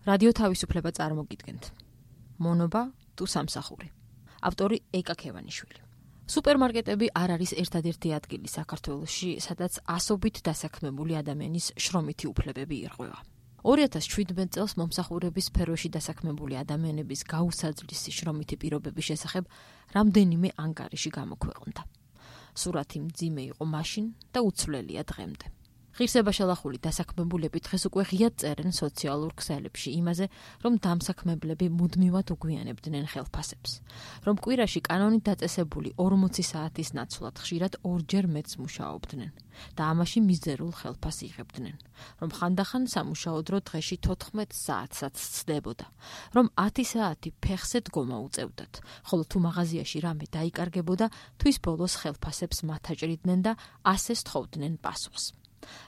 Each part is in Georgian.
რადიო თავისუფლება წარმოგიდგენთ. მონობა თუ სამსახური. ავტორი ეკა ქევანიშვილი. სუპერმარკეტები არ არის ერთადერთი ადგილი საქართველოში, სადაც ასობით დასაქმებული ადამიანის შრომითი უფლებები ირღვევა. 2017 წელს მომსახურების სფეროში დასაქმებული ადამიანების გაუსაძლისი შრომითი პირობების შესახებ რამდენიმე ანგარიში გამოქვეყნდა. სურათი მძიმე იყო მაშინ და უცვლელია დღემდე. ღირსება შელახული დასაქმებულები დღეს უკვე ღიად წერენ სოციალურ ქსელებში იმაზე, რომ დამსაქმებლები მუდმივად უგვიანებდნენ ხელფასებს, რომ კვირაში კანონით დაწესებული 40 საათის ნაცვლად ხშირად ორჯერ მეტს მუშაობდნენ და ამაში მიზერულ ხელფასს იღებდნენ, რომ ხანდახან სამუშაო დრო დღეში 14 საათსაც ცდებოდა, რომ 10 საათი ფეხზე დგომა უწევდათ, ხოლო თუ მაღაზიაში რამე დაიკარგებოდა, თვის ბოლოს ხელფასებს მათაჭრიდნენ და ასე სთხოვდნენ პასუხს.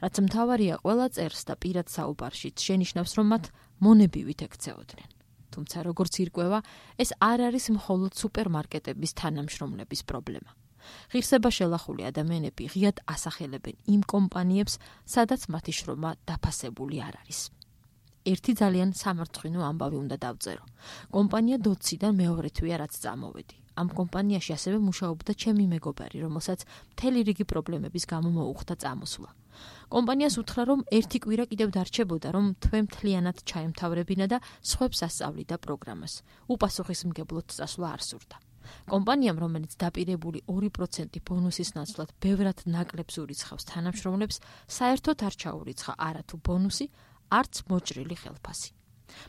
რაც მთავარია ყველა წერს და პირად საუბარშიც შენიშნავს, რომ მათ მონებივით ექცეოდნენ. თუმცა როგორც ირკვევა, ეს არ არის მხოლოდ სუპერმარკეტების თანამშრომლების პრობლემა. ღირსება შელახული ადამიანები ღიად ასახელებენ იმ კომპანიებს, სადაც მათი შრომა დაფასებული არ არის. ერთი ძალიან სამარცხვინო ამბავი უნდა დავწერო. კომპანია დოციდან მეორე თვეა რაც წამოვედი. ამ კომპანიაში ასევე მუშაობდა ჩემი მეგობარი, რომელსაც მთელი რიგი პრობლემების გამო მოუხდა წამოსვლა. კომპანიას უთხრა, რომ ერთი კვირა კიდევ დარჩებოდა, რომ თვე მთლიანად ჩაემთავრებინა და სხვებს ასწავლიდა პროგრამას. უპასუხისმგებლოდ წასვლა არ სურდა. კომპანიამ, რომელიც დაპირებული 2% ბონუსის ნაცვლად ბევრად ნაკლებს ურიცხავს თანამშრომლებს, საერთოდ არ ჩაურიცხა არათუ ბონუსი, არც მოჭრილი ხელფასი.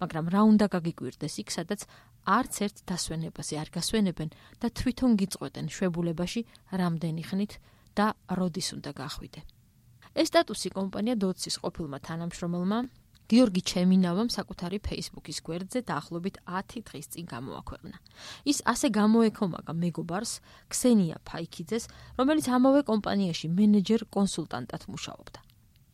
მაგრამ რა უნდა გაგიკვირდეს იქ, სადაც არც ერთ დასვენებაზე არ გასვენებენ და თვითონ გიწყვეტენ შვებულებაში რამდენი ხნით და როდის უნდა გახვიდე. ეს სტატუსი კომპანია დოცის ყოფილმა თანამშრომელმა გიორგი ჩემინავამ საკუთარი Facebook-ის გვერდზე დაახლოებით 10 დღის წინ გამოაქვეყნა. ის ასე გამოეკომაგა მეგობარს ქსენია ფაიქიძეს, რომელიც ამავე კომპანიაში მენეჯერ კონსულტანტად მუშაობდა.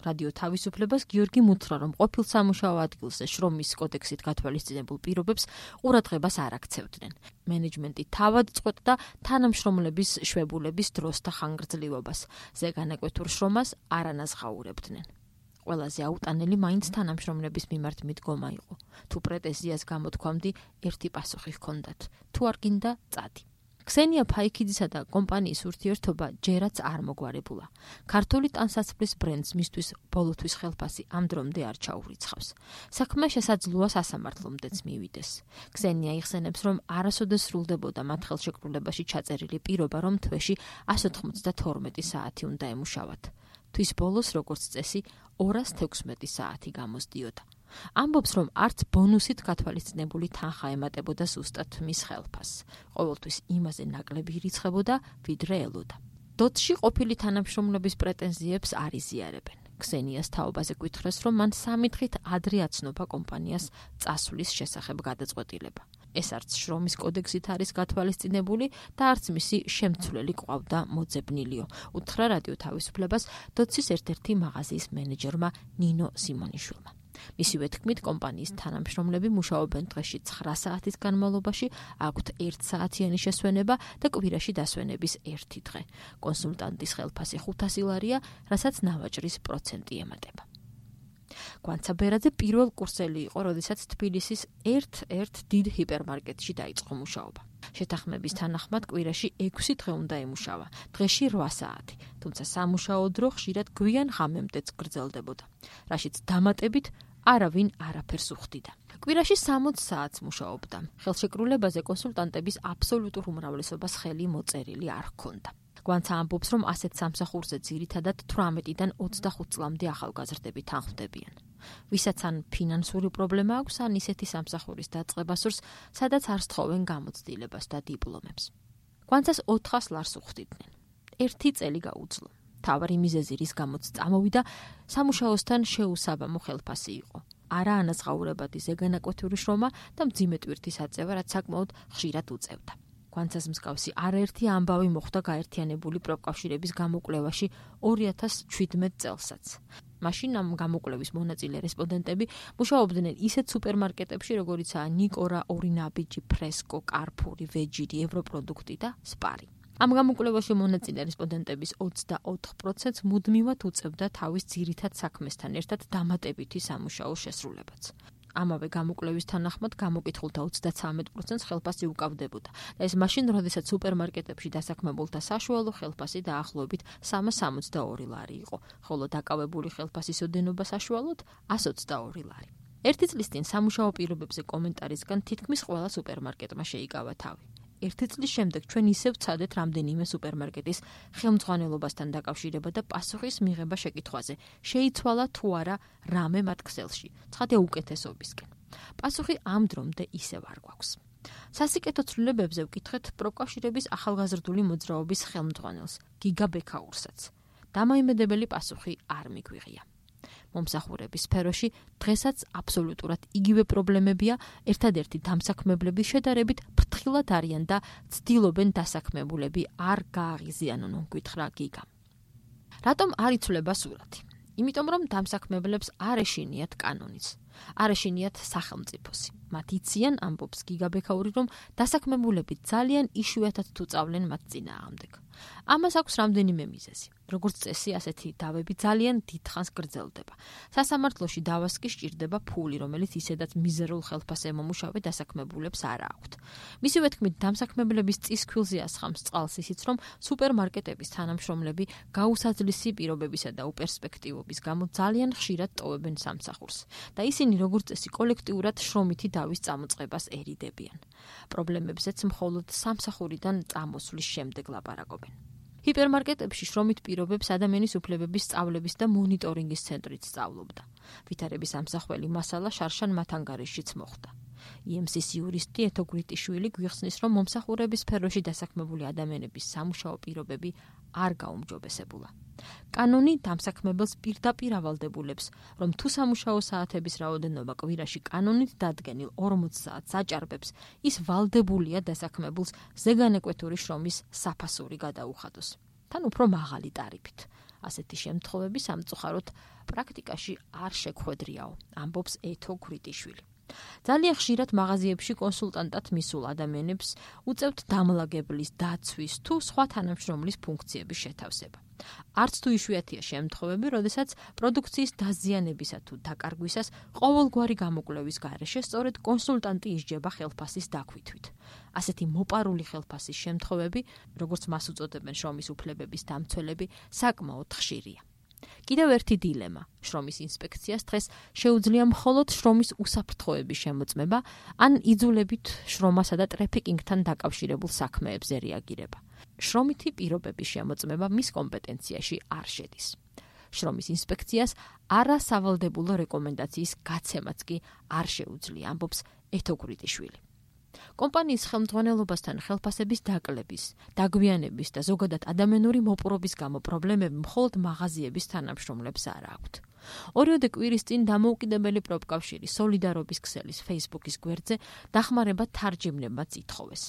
რადიო თავისუფლებას გიორგი მუთხრა, რომ ყოფილ სამუშაო ადგილზე შრომის კოდექსით გათვალისწინებულ პირობებს ყურადღებას არ აქცევდნენ. მენეჯმენტი თავად წყვეტდა თანამშრომლების შვებულების დროს და ხანგრძლივობას, ზეგანაკვეთურ შრომას არ ანაზღაურებდნენ. ყველაზე აუტანელი მაინც თანამშრომლების მიმართ მიდგომა იყო. თუ პრეტენზიას გამოთქვამდი, ერთი პასუხი ჰქონდათ. თუ არ გინდა, წადი. ქსენია ფაიქიძისა და კომპანიის ურთიერთობა ჯერაც არ მოგვარებულა. ქართული ტანსაცმლის ბრენდს მისთვის ბოლოთვის ხელფასი ამ დრომდე არ ჩაურიცხავს. საქმე შესაძლოა სასამართლომდეც მივიდეს. ქსენია იხსენებს, რომ არასოდეს სრულდებოდა მათ ხელშეკრულებაში ჩაწერილი პირობა, რომ თვეში 192 საათი უნდა ემუშავათ. თვის ბოლოს, როგორც წესი, 216 საათი გამოსდიოდა. ამბობს, რომ არც ბონუსით გათვალისწინებული თანხა ემატებოდა ზუსტად მის ხელფასს. ყოველთვის იმაზე ნაკლები ირიცხებოდა, ვიდრე ელოდა. დოცში ყოფილი თანამშრომლების პრეტენზიებს არ იზიარებენ. ქსენიას თაობაზე გვითხრეს, რომ მან 3 დღით ადრე აცნობა კომპანიას წასვლის შესახებ გადაწყვეტილება. ეს არც შრომის კოდექსით არის გათვალისწინებული და არც მისი შემცვლელი ყავდა მოძებნილიო. უთხრა რადიო თავისუფლებას დოცის ერთ-ერთი მაღაზიის მენეჯერმა ნინო სიმონიშვილმა. მისივე თქმით, კომპანიის თანამშრომლები მუშაობენ დღეში 9 საათის განმავლობაში, აქვთ 1 საათიანი შესვენება და კვირაში დასვენების 1 დღე. კონსულტანტის ხელფასი 500 ლარია, რასაც ნავაჭრის პროცენტი ემატება. გვანცა ბერაძე პირველ კურსელი იყო, როდესაც თბილისის ერთ-ერთ დიდ ჰიპერმარკეტში დაიწყო მუშაობა. შეთანხმების თანახმად კვირაში 6 დღე უნდა ემუშავა, დღეში 8 საათი, თუმცა სამუშაო დრო ხშირად გვიან ღამემდეც გრძელდებოდა, რაშიც დამატებით არავინ არაფერს უხდიდა. კვირაში 60 საათს მუშაობდა. ხელშეკრულებაზე კონსულტანტების აბსოლუტურ უმრავლესობას ხელი მოწერილი არ ჰქონდა. გვანცა ამბობს, რომ ასეთ სამსახურზე ძირითადად 18-დან 25 წლამდე ახალგაზრდები თანხმდებიან. ვისაც ან ფინანსური პრობლემა აქვს, ან ისეთი სამსახურის დაწყება სურს, სადაც არ სთხოვენ გამოცდილებას და დიპლომებს. გვანცას 400 ლარს უხდიდნენ. 1 წელი გაუძლო. თავარი მიზეზი, რის გამოც წამოვიდა, სამუშაოსთან შეუსაბამო ხელფასი იყო. არა ანაზღაურებადი ზეგანაკვეთური შრომა და მძიმე ტვირთის აწევა, რაც საკმაოდ ხშირად უწევდა. გვანცას მსგავსი არაერთი ამბავი მოხდა გაერთიანებული პროფკავშირების გამოკვლევაში 2017 წელსაც. მაშინ ამ გამოკვლევის მონაწილე რესპონდენტები მუშაობდნენ ისეთ სუპერმარკეტებში, როგორიცაა ნიკორა, ორინაბიჯი, ფრესკო, კარფური, ვეჯირი, ევროპროდუქტი და სპარი. ამ გამოკვლევაში მონაწილე რესპონდენტების 24%-ს მუდმივად უწევდა თავის ძირითად საქმესთან ერთად დამატებითი სამუშაო შესრულებაც. ამავე გამოკვლევის თანახმად გამოკითხულთა 33%-ს ხელფასი უკავდებოდა. და ეს მაშინ, როდესაც სუპერმარკეტებში დასაქმებულთა საშუალო ხელფასი დაახლოებით 362 ლარი იყო, ხოლო დაკავებული ხელფასის ოდენობა საშუალოდ 122 ლარი. ერთი წლის წინ სამუშაო პირობებზე კომენტარისგან თითქმის ყველა სუპერმარკეტმა შეიკავა თავი. ერთი წლის შემდეგ ჩვენ ისევ ვცადეთ რამდენიმე სუპერმარკეტის ხელმძღვანელობასთან დაკავშირება და პასუხის მიღება შეკითხვაზე, შეიცვალა თუ არა რამე მათ ქსელში, ცხადია უკეთესობისკენ. პასუხი ამ დრომდე ისევ არ გვაქვს. სასიკეთო ცვლილებებზე ვკითხეთ პროკავშირების ახალგაზრდული მოძრაობის ხელმძღვანელს, გიგა ბექაურსაც. დამოიმედებელი პასუხი არ მიგვიღია. მომსახურების სფეროში დღესაც აბსოლუტურად იგივე პრობლემებია, ერთადერთი დამსაქმებლების შედარებით ფრთხილად არიან და ცდილობენ დასაქმებულები არ გააღიზიანონ, გითხრა გიგამ. რატომ არ იცვლება სურათი? იმიტომ რომ დამსაქმებლებს არ ეშინიათ კანონიც, არ ეშინიათ სახელმწიფოსი. მათ იციან, ამბობს გიგა ბექაური, რომ დასაქმებულები ძალიან იშვიათად თუ წავლენ მათ წინააღმდეგ. ამას აქვს რამდენიმე მიზეზი. როგორც წესი, ასეთი დავები ძალიან დიდხანს გრძელდება. სასამართლოში დავას კი სჭირდება ფული, რომელიც ისედაც მიზერულ ხელფასზე მომუშავე დასაქმებულებს არ აქვთ. მისივე თქმით, დამსაქმებლების წისქვილზე ასხამს წყალს ისიც, რომ სუპერმარკეტების თანამშრომლები გაუსაძლისი პირობებისა და უპერსპექტივობის გამო ძალიან ხშირად ტოვებენ სამსახურს და ისინი როგორც წესი კოლექტიურად შრომითი დავის წამოწყებას ერიდებიან. პრობლემებზეც მხოლოდ სამსახურიდან წამოსვლის შემდეგ ლაპარაკობენ. ჰიპერმარკეტებში შრომით პირობებს ადამიანის უფლებების სწავლების და მონიტორინგის ცენტრით სწავლობდა. ვითარების ამსახველი მასალა შარშან მათანგარიშიც მოხდა. EMC-ის იურისტი ეთო გრიტიშვილი გვიხსნის, რომ მომსახურების სფეროში დასაქმებული ადამიანების სამუშაო პირობები არ გაუმჯობესებულა. კანონი დამსაქმებელს პირდაპირ ავალდებულებს, რომ თუ სამუშაო საათების რაოდენობა კვირაში კანონით დადგენილ 40 საათს აჭარბებს, ის ვალდებულია დასაქმებულს ზეგანეკვეთური შრომის საფასური გადაუხადოს. თან უფრო მაღალი ტარიფით. ასეთი შემთხვევები სამწუხაროდ პრაქტიკაში არ შეგვხვედრიაო, ამბობს ეთო გრიტიშვილი. ძალიან ხშირად მაღაზიებში კონსულტანტად მისულ ადამიანებს უწევთ დამლაგებლის, დაცვის თუ სხვა თანამშრომლის ფუნქციების შეთავსება. არც თუ იშვიათია შემთხვევები, როდესაც პროდუქციის დაზიანებისა თუ დაკარგვისას ყოველგვარი გამოკვლევის გარეშე სწორედ კონსულტანტი ისჯება ხელფასის დაქვითვით. ასეთი მოპარული ხელფასის შემთხვევები, როგორც მას უწოდებენ შრომის უფლებების დამცველები, საკმაოდ ხშირია. კიდევ ერთი დილემა. შრომის ინსპექციას დღეს შეუძლია მხოლოდ შრომის უსაფრთხოების შემოწმება, ან იძულებით შრომასა და ტრაფიკინგთან დაკავშირებულ საქმეებზე რეაგირება. შრომითი პირობების შემოწმება მის კომპეტენციაში არ შედის. შრომის ინსპექციას არასავალდებულო რეკომენდაციის გაცემაც კი არ შეუძლია, ამბობს ეთო გრიტიშვილი. კომპანიის ხელმძღვანელობასთან ხელფასების დაკლების, დაგვიანების და ზოგადად ადამიანური მოპყრობის გამო პრობლემები მხოლოდ მაღაზიების თანამშრომლებს არ აქვთ. ორიოდე კვირის წინ დამოუკიდებელი პროფკავშირი სოლიდარობის ქსელის Facebook-ის გვერდზე დახმარება თარჯიმნებაც ითხოვეს.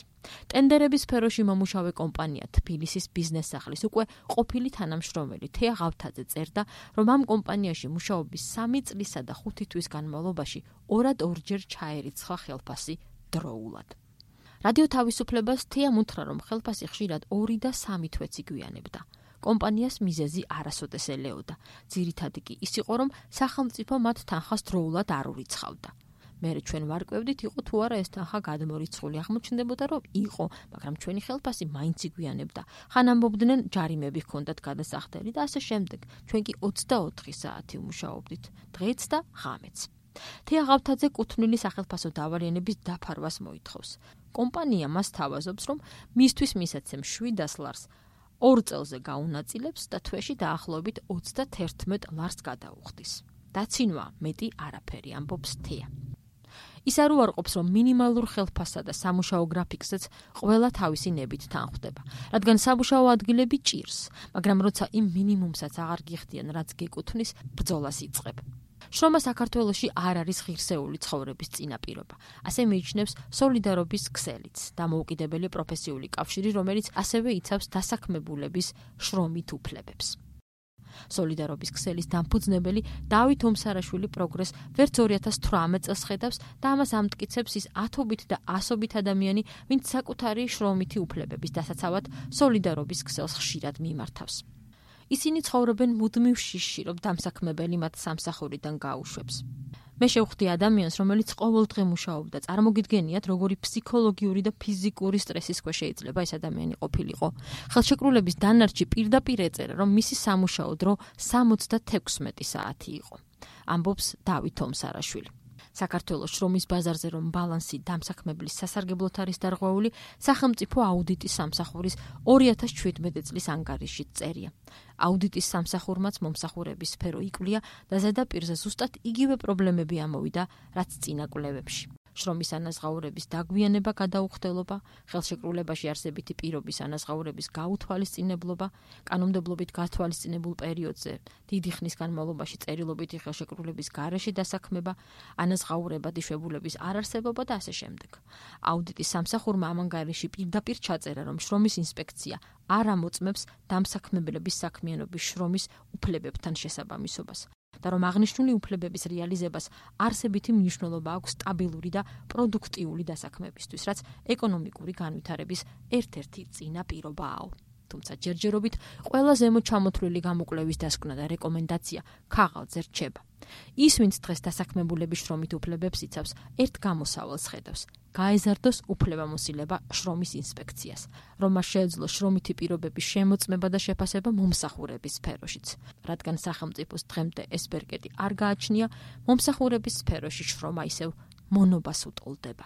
ტენდერების სფეროში მომუშავე კომპანია თბილისის ბიზნეს სახლის უკვე ყოფილი თანამშრომელი თეა ღავთაძე წერდა, რომ ამ კომპანიაში მუშაობის 3 წლისა და 5 თვის განმავლობაში ორჯერ ჩაერიცხა ხელფასი დროულად. რადიო თავისუფლებას თეა უთხრა, რომ ხელფასი ხშირად 2 და 3 თვეც იგვიანებდა. კომპანიას მიზეზი არასოდეს ელეოდა. ძირითადი კი ის იყო, რომ სახელმწიფო მათ თანხას დროულად არ ურიცხავდა. მერე ჩვენ ვარკვევდით, იყო თუ არა ეს თანხა გადმორიცხული. აღმოჩნდებოდა, რომ იყო, მაგრამ ჩვენი ხელფასი მაინც იგვიანებდა. ხან ამბობდნენ, ჯარიმები ჰქონდათ გადასახდელი და ასე შემდეგ. ჩვენ კი 24 საათი ვმუშაობდით, დღეც და ღამეც. თეა ღავთაძე კუთვნილი სახელფასო დავალიანების დაფარვას მოითხოვს. კომპანია მას თავაზობს, რომ მისთვის მისაცემ 700 ლარს 2 წელზე გაუნაწილებს და თვეში დაახლოებით 31 ლარს გადაუხდის. დაცინვა მეტი არაფერი, ამბობს თეა. ის არ უარყოფს, რომ მინიმალურ ხელფასსა და სამუშაო გრაფიკზეც ყველა თავისი ნებით თანხვდება, რადგან სამუშაო ადგილები ჭირს, მაგრამ როცა იმ მინიმუმსაც აღარ გიხდიან, რაც გეკუთვნის, ბრძოლას იწყებ. შრომა საქართველოში არ არის ღირსეული ცხოვრების წინაპირობა. ასე მიიჩნევს სოლიდარობის ქსელიც, დამოუკიდებელი პროფესიული კავშირი, რომელიც ასევე იცავს დასაქმებულების შრომით უფლებებს. სოლიდარობის ქსელის დამფუძნებელი დავით ომსარაშვილი პროგრესს ვერც 2018 წელს ხედავს და ამას ამტკიცებს ის ათობით და ასობით ადამიანი, ვინც საკუთარი შრომითი უფლებების დასაცავად სოლიდარობის ქსელს ხშირად მიმართავს. ისინი ცხოვრობენ მუდმივ შიშში, რომ დამსაქმებელი მათ სამსახურიდან გაუშვებს. მე შევხვდი ადამიანს, რომელიც ყოველდღე მუშაობდა. წარმოგიდგენიათ, როგორი ფსიქოლოგიური და ფიზიკური სტრესის ქვეშ შეიძლება ეს ადამიანი ყოფილიყო. ხელშეკრულების დანარჩი პირდაპირ ეწერა, რომ მისი სამუშაო დრო 76 საათი იყო. ამბობს დავით ომსარაშვილი. საქართველოს შრომის ბაზარზე რომ ბალანსი დამსაქმებლის სასარგებლოდ არის დარღვეული, სახელმწიფო აუდიტის სამსახურის 2017 წლის ანგარიშით წერია. აუდიტის სამსახურმაც მომსახურების სფერო იკვლია და ზედაპირზე ზუსტად იგივე პრობლემები ამოვიდა, რაც წინა კვლევებში. შრომის ანაზღაურების დაგვიანება, გადაუხდელობა, ხელშეკრულებაში არსებითი პირობის ანაზღაურების გაუთვალისწინებლობა, კანონმდებლობით გათვალისწინებულ პერიოდზე დიდი ხნის განმავლობაში წერილობითი ხელშეკრულების გარეშე დასაქმება, ანაზღაურებადი შვებულების არარსებობა და ასე შემდეგ. აუდიტის სამსახურმა ამ ანგარიში პირდაპირ ჩაწერა, რომ შრომის ინსპექცია არ ამოწმებს დამსაქმებლების საქმიანობის შრომის უფლებებთან შესაბამისობას. და რომ აღნიშნული უფლებების რეალიზებას არსებითი მნიშვნელობა აქვს სტაბილური და პროდუქტიული დასაქმებისთვის, რაც ეკონომიკური განვითარების ერთ-ერთი წინაპირობაა. თუმცა ჯერჯერობით ყველა ზემოთ ჩამოთვლილი გამოკვლევის დასკვნა და რეკომენდაცია ქაღალდზე რჩება. ის, ვინც დღეს დასაქმებულების შრომით უფლებებს იცავს, ერთ გამოსავალს ხედავს. გაეზარდოს უფლებამოსილება შრომის ინსპექციას, რომ მას შეეძლოს შრომითი პირობების შემოწმება და შეფასება მომსახურების სფეროშიც. რადგან სახელმწიფოს დღემდე ეს ბერკეტი არ გააჩნია, მომსახურების სფეროში შრომა ისევ მონობას უტოლდება.